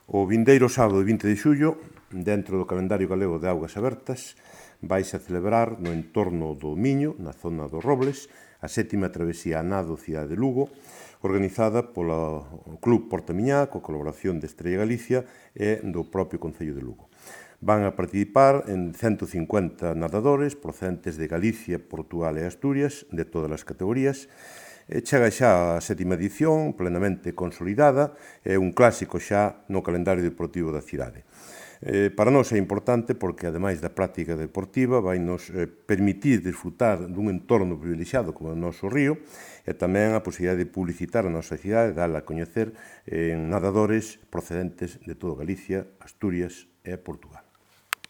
O vindeiro sábado 20 de xullo, dentro do calendario galego de augas abertas, vaise a celebrar no entorno do Miño, na zona dos Robles, a 7ª travesía a nado Cidade de Lugo, organizada polo Club Portamiñá, coa colaboración de Estrella Galicia e do propio Concello de Lugo. Van a participar en 150 nadadores procedentes de Galicia, Portugal e Asturias, de todas as categorías. Chega xa a 7ª edición, plenamente consolidada, é un clásico xa no calendario deportivo da cidade. Para nós é importante porque, ademais da práctica deportiva, vai nos permitir disfrutar dun entorno privilexiado como o noso río e tamén a posibilidade de publicitar a nosa cidade, dala a coñecer en nadadores procedentes de toda Galicia, Asturias e Portugal.